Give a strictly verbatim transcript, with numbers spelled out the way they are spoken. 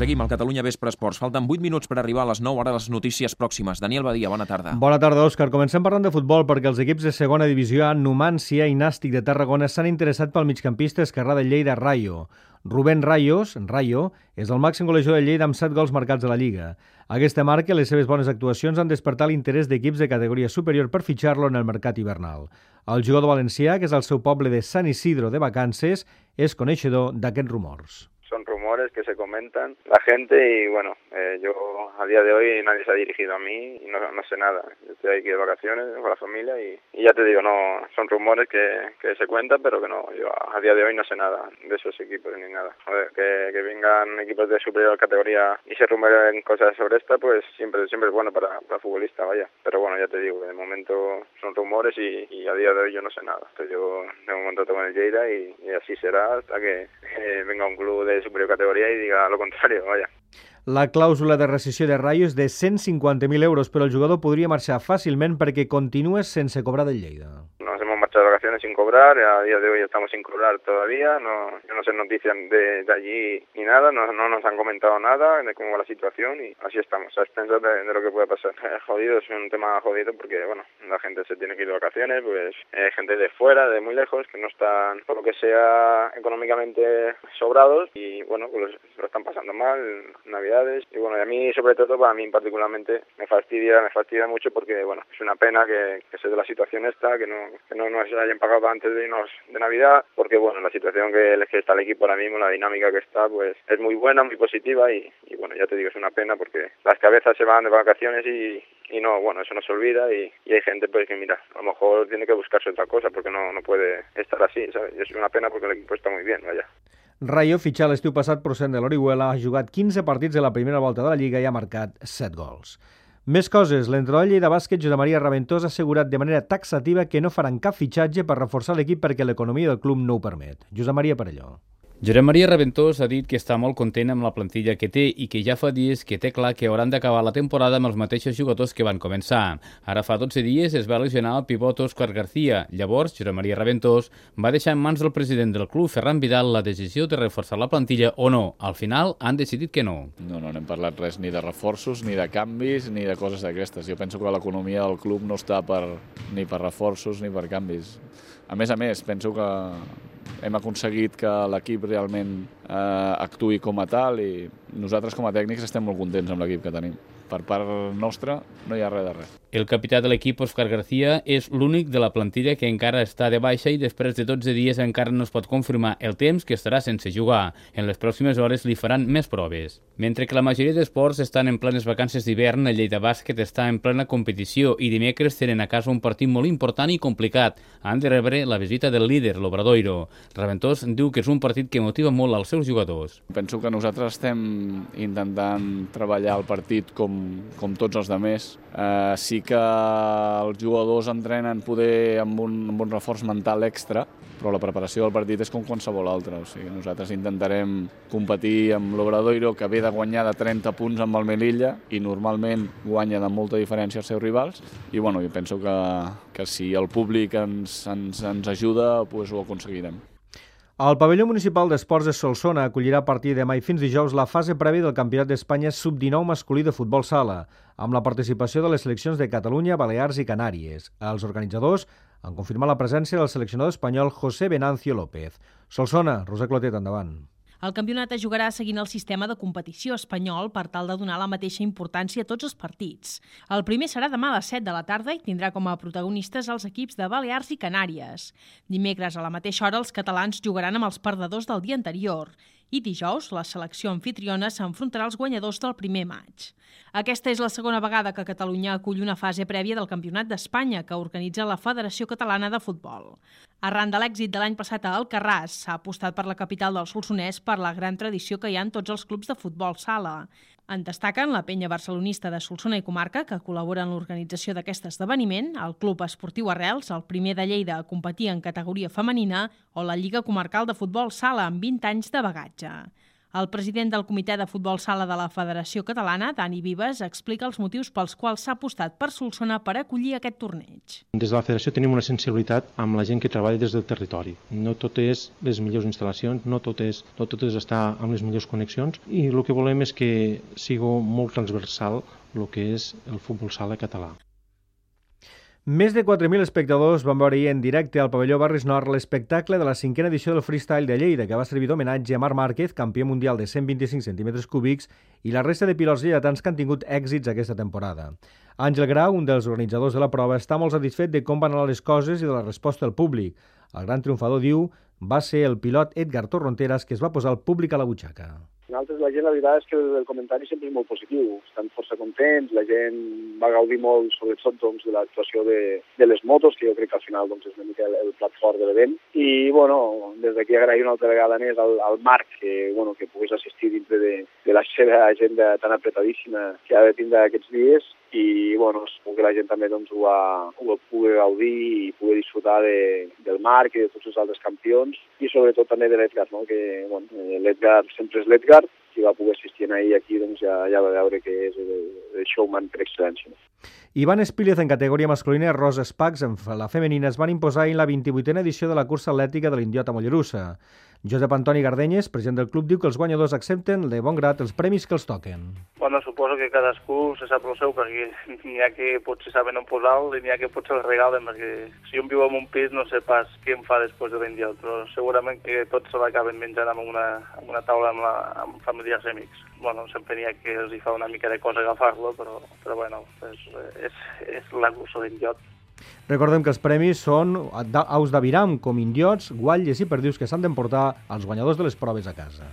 Seguim al Catalunya Vespre Esports. Falten vuit minuts per arribar a les nou, ara les notícies pròximes. Daniel Badia, bona tarda. Bona tarda, Òscar. Comencem parlant de futbol perquè els equips de segona divisió A, Numància i Nàstic de Tarragona, s'han interessat pel migcampista esquerrà de Lleida, Rayo. Rubén Rayos, Rayo, és el màxim golejador de Lleida amb set gols marcats a la Lliga. Aquesta marca i les seves bones actuacions han despertat l'interès d'equips de categoria superior per fitxar-lo en el mercat hivernal. El jugador valencià, que és al seu poble de San Isidro de vacances, és coneixedor d'aquests rumors. Son rumores que se comentan la gente y bueno, eh, yo a día de hoy nadie se ha dirigido a mí y no, no sé nada. Yo estoy aquí de vacaciones con la familia y, y ya te digo, no son rumores que, que se cuentan, pero que no, yo a día de hoy no sé nada de esos equipos ni nada. Joder, que, que vengan equipos de superior categoría y se rumoren cosas sobre esta, pues siempre siempre es bueno para, para el futbolista, vaya. Pero bueno, ya te digo, de momento son rumores y, y a día de hoy yo no sé nada. Entonces yo de momento tengo el Lleida y, y así será hasta que eh, venga un club de superior categoría y diga lo contrario, vaya. La clàusula de rescissió de Rayo és de cent cinquanta mil euros, però el jugador podria marxar fàcilment perquè continua sense cobrar del Lleida. Nos hemos marchado de vacaciones sin cobrar, a día de hoy estamos sin cobrar todavía, no, yo no sé noticias de, de allí ni nada, no, no nos han comentado nada de cómo va la situación y así estamos, a expensas de, de lo que pueda pasar. Eh, jodido, es un tema jodido porque, bueno, la gente se tiene que ir de vacaciones, pues eh, gente de fuera, de muy lejos, que no están, por lo que sea, económicamente sobrados y, bueno, pues lo están pasando mal, Navidades, y bueno, y a mí, sobre todo, para mí particularmente, me fastidia, me fastidia mucho porque, bueno, es una pena que, que se dé la situación esta, que no, que no nos hayan pagado antes de irnos de Navidad, porque bueno, la situación que, que está el equipo ahora mismo, la dinámica que está, pues es muy buena, muy positiva y, y bueno, ya te digo, es una pena porque las cabezas se van de vacaciones y, y no, bueno, eso no se olvida y, y hay gente pues que mira, a lo mejor tiene que buscarse otra cosa porque no, no puede estar así, ¿sabes? Y es una pena porque el equipo está muy bien, vaya. Rayo, fitxat l'estiu passat procedent de l'Orihuela, ha jugat quinze partits de la primera volta de la Lliga i ha marcat set gols. Més coses. L'entrenador de Lleida Bàsquet, Josep Maria Raventós, ha assegurat de manera taxativa que no faran cap fitxatge per reforçar l'equip perquè l'economia del club no ho permet. Josep Maria Parelló. Josep Maria Raventós ha dit que està molt content amb la plantilla que té i que ja fa dies que té clar que hauran d'acabar la temporada amb els mateixos jugadors que van començar. Ara fa dotze dies es va lesionar el pivot Òscar García. Llavors, Josep Maria Raventós va deixar en mans del president del club, Ferran Vidal, la decisió de reforçar la plantilla o no. Al final han decidit que no. No, no n'hem parlat res ni de reforços, ni de canvis, ni de coses d'aquestes. Jo penso que l'economia del club no està per, ni per reforços ni per canvis. A més a més, penso que hem aconseguit que l'equip realment eh, actuï com a tal i nosaltres com a tècnics estem molt contents amb l'equip que tenim. Per part nostra no hi ha res de res. El capità de l'equip, Òscar García, és l'únic de la plantilla que encara està de baixa i després de dotze dies encara no es pot confirmar el temps que estarà sense jugar. En les pròximes hores li faran més proves. Mentre que la majoria d'esports estan en plenes vacances d'hivern, el Lleida Bàsquet està en plena competició i dimecres tenen a casa un partit molt important i complicat. Han de rebre la visita del líder, l'Obradoiro. Raventós diu que és un partit que motiva molt als seus jugadors. Penso que nosaltres estem intentant treballar el partit com, com tots els altres. Eh, sí que els jugadors entrenen poder amb un, amb un reforç mental extra, però la preparació del partit és com qualsevol altre. O sigui, nosaltres intentarem competir amb l'Obradoiro, que ve de guanyar de trenta punts amb el Melilla i normalment guanya de molta diferència als seus rivals. I bueno, jo penso que, que si el públic ens, ens, ens ajuda, pues ho aconseguirem. El pavelló municipal d'esports de Solsona acollirà a partir de demà i fins dijous la fase prèvia del Campionat d'Espanya sub dinou masculí de futbol sala, amb la participació de les seleccions de Catalunya, Balears i Canàries. Els organitzadors han confirmat la presència del seleccionador espanyol José Venancio López. Solsona, Roser Clotet, endavant. El campionat es jugarà seguint el sistema de competició espanyol per tal de donar la mateixa importància a tots els partits. El primer serà demà a les set de la tarda i tindrà com a protagonistes els equips de Balears i Canàries. Dimecres a la mateixa hora els catalans jugaran amb els perdedors del dia anterior i dijous la selecció anfitriona s'enfrontarà als guanyadors del primer maig. Aquesta és la segona vegada que Catalunya acull una fase prèvia del Campionat d'Espanya que organitza la Federació Catalana de Futbol. Arran de l'èxit de l'any passat a Alcarràs, s'ha apostat per la capital del Solsonès per la gran tradició que hi ha en tots els clubs de futbol sala. En destaquen la penya barcelonista de Solsona i Comarca, que col·labora en l'organització d'aquest esdeveniment, el Club Esportiu Arrels, el primer de Lleida a competir en categoria femenina, o la Lliga Comarcal de Futbol Sala, amb vint anys de bagatge. El president del Comitè de Futbol Sala de la Federació Catalana, Dani Vives, explica els motius pels quals s'ha apostat per Solsona per acollir aquest torneig. Des de la Federació tenim una sensibilitat amb la gent que treballa des del territori. No tot és les millors instal·lacions, no tot és, no tot és estar amb les millors connexions, i el que volem és que sigui molt transversal el que és el futbol sala català. Més de quatre mil espectadors van veure ahir en directe al pavelló Barris Nord l'espectacle de la cinquena edició del Freestyle de Lleida, que va servir d'homenatge a Marc Márquez, campió mundial de cent vint-i-cinc centímetres cúbics, i la resta de pilots lleidatans que han tingut èxits aquesta temporada. Àngel Grau, un dels organitzadors de la prova, està molt satisfet de com van anar les coses i de la resposta del públic. El gran triomfador, diu, va ser el pilot Edgar Torronteras, que es va posar el públic a la butxaca. Nosaltres, la gent, la veritat és que el comentari sempre és molt positiu. Estan força contents, la gent va gaudir molt, sobretot, doncs, de l'actuació de, de les motos, que jo crec que al final doncs, és una mica el, el plat fort de l'event. I, bueno, des d'aquí agrair una altra vegada més al, al Marc, que, bueno, que pogués assistir dintre de, de la seva agenda tan apretadíssima que ha de tindre aquests dies. I, bueno, segur que la gent també doncs, ho, ha, ho va poder gaudir i poder disfrutar de, del Marc i de tots els altres campions, i sobretot també de l'Edgar, no? Que, bueno, l'Edgar sempre és l'Edgar, qui va poder assistir ahir aquí doncs ja, ja va veure que és el, el showman per excel·lència. Ivan Espílez en categoria masculina i Rosa Spags en la femenina es van imposar en la vint-i-vuitena edició de la cursa atlètica de l'Indiot a Mollerussa. Josep Antoni Gardenyes, president del club, diu que els guanyadors accepten de bon grat els premis que els toquen. Bueno, suposo que cadascú se sap el seu, perquè n'hi ha que potser saben on posar-lo i n'hi ha que potser el regalen, perquè si un viu en un pis no sé pas què em fa després de l'Indiot, però segurament que tots se l'acaben menjant amb una, amb una taula amb, la, amb familiars i amics. Bueno, sempre n'hi ha que els hi fa una mica de cosa agafar-lo, però, però bueno, és, és, és la cursa d'Indiot. Recordem que els premis són aus d'aviram, com indiots, guatlles i perdius que s'han d'emportar als guanyadors de les proves a casa.